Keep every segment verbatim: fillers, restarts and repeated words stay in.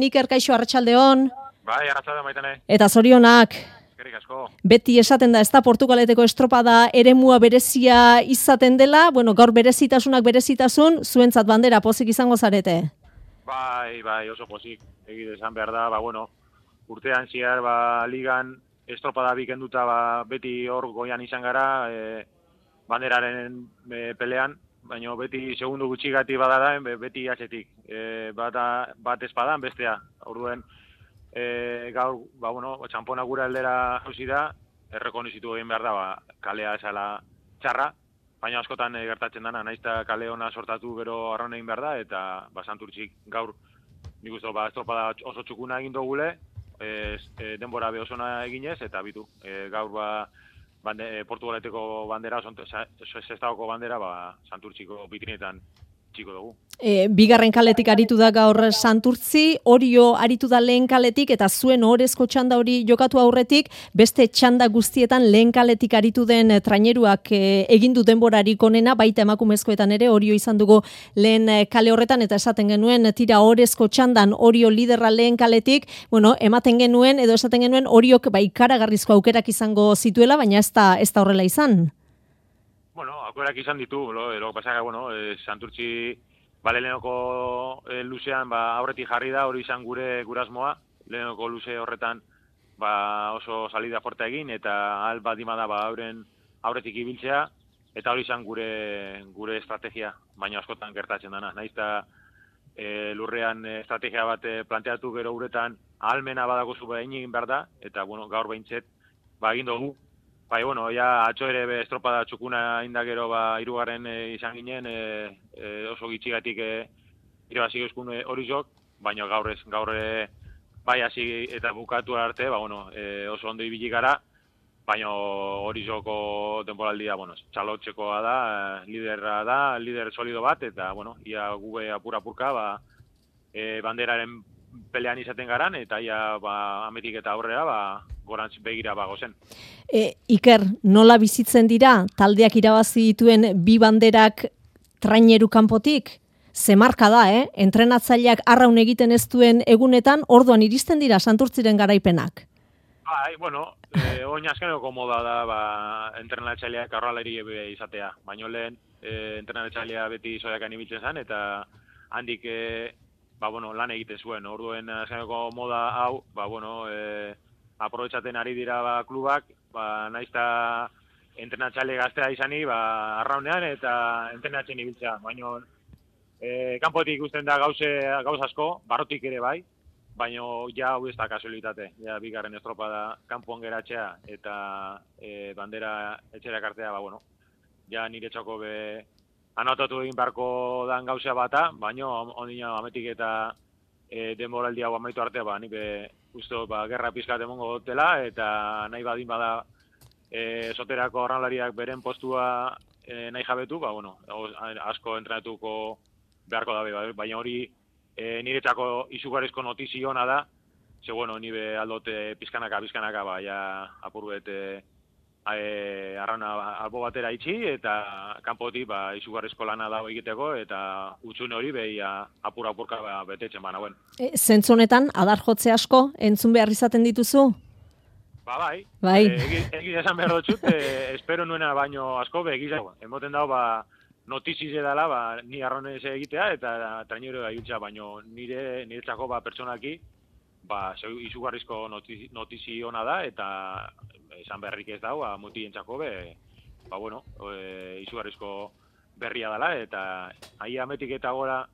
Iker, kaixo, arratsaldeon. Bai, arratsaldeon baitane. Eta zorionak. Eskerrik asko. Beti esaten da, ez da Portugaleteko estropada eremua berezia izaten dela, bueno, gaur berezitasunak berezitasun, zuentzat bandera pozik izango zarete. Bai, bai, oso pozik. Egite esan behar da, ba, bueno, urtean ziar, ba, ligan estropada bikenduta, ba, beti hor goian izan gara, e, banderaren e, pelean, baina beti segundu gutxigati badara, beti atzetik. E, bat, bat espadan, bestea. Orduen, e, gaur, ba, bueno, txampona gura aldera hausi da, errekonizitu egin behar da, ba, kalea esala txarra, baina askotan e, gertatzen dana, naizta kale ona sortatu gero arraun egin behar da, eta ba, Santurtzik gaur, nik uste, ba, estropada oso txukuna egin dugule, e, e, denbora behosona eginez, eta bitu, e, gaur, ba, Bande, Portugaleteko bandera, Sestaoko bandera, ba, Santurtziko bitrinetan txiko dugu. E, bigarren kaletik aritu da gaur Santurtzi, Orio aritu da lehen kaletik, eta zuen ohorezko txanda hori jokatu aurretik, beste txanda guztietan lehen kaletik aritu den traineruak e, egin du denborarik onena, baita emakumezkoetan ere, Orio izan dugu lehen kale horretan, eta esaten genuen, tira ohorezko txandan Orio liderra lehen kaletik, bueno, ematen genuen, edo esaten genuen, Oriok ba, ikaragarrizko aukerak izango zituela, baina ez da, ez da horrela izan. Bueno, aukerak izan ditu, lo, lo pasaga, bueno, eh, Santurtzi bale lehenoko eh, luzean ba, aurretik jarri da, hori izan gure gurasmoa, lehenoko luze horretan ba, oso salida forta egin, eta ahal badima da ba, auren aurretik ibiltzea, eta hori izan gure gure estrategia, baina askotan gertatzen dana. Naizta e, lurrean estrategia bat planteatu gero uretan ahalmena badagozu behin egin behar da, eta bueno, gaur behintzet ba, egin dugu. Bai, bueno, ja atxo ere be, estropada txukuna indagero ba, irugarren e, izan ginen, e, e, oso gitxigatik e, irabazi euskun hori jok, baina gaur ez, gaur e, bai hasi eta bukatu arte, ba, bueno, e, oso ondo ibili gara, baina hori joko denboraldia, bueno, txalotxekoa da, liderra da, lider solido bat, eta, bueno, ia gube apura-apurka, ba, e, banderaren pelean izaten garan, eta ia ba, ametik eta aurrera, ba, gorantz begira bago zen. E, Iker, nola bizitzen dira taldeak irabazi dituen bi banderak traineru kanpotik? Ze marka da, eh? Entrenatzaileak arraun egiten ez duen egunetan, orduan iristen dira Santurtziren garaipenak. Bai, bueno, eh, oin azkeneko moda da, ba, entrenatzaileak arraleri izatea. Baina lehen, eh, entrenatzailea beti zoiakan ibiltzen zen, eta handik, eh, ba, bueno, lan egite zuen. Orduen azkeneko moda hau, ba, bueno, eh, aprobetxaten ari dira ba, klubak, ba, naizta entrenatzaile gaztea izani ba, arraunean eta entrenatzen ibiltzea. Baina e, kanpotik ikusten da gauze, gauz asko, barrotik ere bai, baina ja hau ez da kasualitate. Ja, bigarren estropada kanpoan geratzea eta e, bandera etxerak artea, ba, bueno, ja nire txoko be anotatu egin beharko dan gauzea bata, baina ondina ametik eta e, denboraldi hau amaitu artea, ba, nire usto, ba, gerra pizkat emongo dutela, eta nahi badin bada e, soterako arraunlariak beren postua e, nahi jabetu, ba, bueno, asko entrenatuko beharko dabe, ba, baina hori e, niretzako izugarrizko notizio ona da, ze, bueno, nire aldote pizkanaka, pizkanaka, ba, ja, apur bet, e, e, arrauna albo batera itxi, eta kanpotik, ba, izugarrizko lana dago egiteko, eta utxune hori behia apur-apurka ba, betetzen bana, bueno. E, Zentzu honetan, adar jotze asko, entzun behar izaten dituzu? Ba, bai. Bai. E, egiz, egiz esan behar dutxut, e, espero nuena baino asko, be, egiz, emoten dago, ba, notiziz edala, ba, ni arraunez egitea, eta trainero egitza, baino nire, niretzako, ba, pertsonaki, ba, izugarrizko notizi, notizi ona da, eta esan berrik ez dago, ba, mutientzako be, ba, bueno, e, izugarrizko berria dela, eta ahi ametik eta gora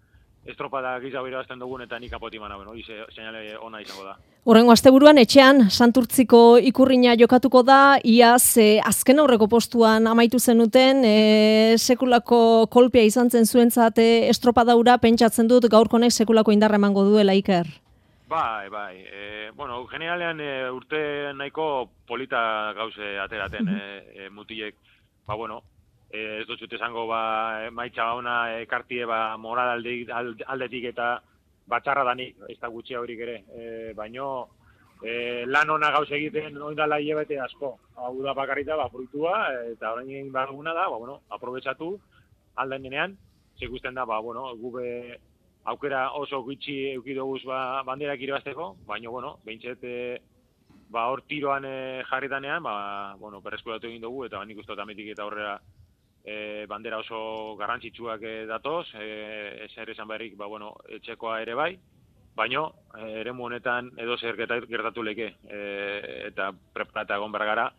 estropada gizago irabazten dugun, eta nik apoti mana, bueno, hori seinale ona izango da. Horrengo asteburuan etxean Santurtziko ikurrina jokatuko da, iaz e, azken aurreko postuan amaitu zenuten, e, sekulako kolpea izan zen zuentzat estropadaura, pentsatzen dut gaurkonek sekulako indarra emango duela, Iker. Bai, bai. E, bueno, generalean e, urte nahiko polita gauze ateraten e, e, mutilek, ba, bueno, e, ez dut esango, ba, maitza ona ekartie, ba, moral aldetik, aldetik eta batxarra danik, ez da gutxia horik ere, e, baino e, lan ona gauze egiten oindala hilabete asko. Hau da bakarrita, ba, fruitua, eta orain egin behar duguna da, ba, bueno, aprobetxatu alden denean, ikusten da, ba, bueno, gube aukera oso gutxi eduki doguz ba, banderak irabazteko, baina, bueno, behintzet, e, ba, hor tiroan e, jarritanean, ba, bueno, berreskuratu egin dugu, eta nik uste dut ametik eta aurrera e, bandera oso garrantzitsuak e, datoz, e, ezer esan berrik, ba, bueno, etxekoa ere bai, baina e, eremu honetan edo zer gertatu leke, e, eta preparata egon bergara,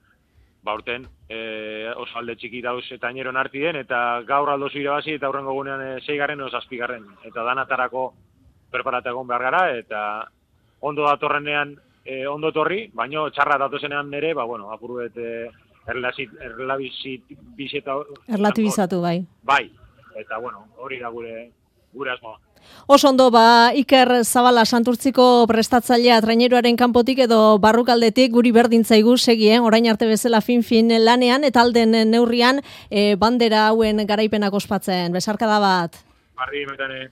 ba, urten e, oso alde txiki dauz eta ineron arti den, eta gaur aldozu irabazi, eta aurrengo gunean e, seigarren edo zazpigarren, eta danatarako preparata egon behar gara, eta ondo datorrenean e, ondo torri, baino txarra datozenean nere, ba, bueno, apuruet e, erlatibizatu, bai. Bai, eta, bueno, hori da gure, gure asmoa. Oso ondo, ba, Iker Zabala Santurtziko prestatzailea traineruaren kanpotik edo barrukaldetik guri berdintzaigu segien, orain arte bezala fin-fin lanean, eta alden neurrian e, bandera hauen garaipenak ospatzen. Besarkada bat. Barri, metane.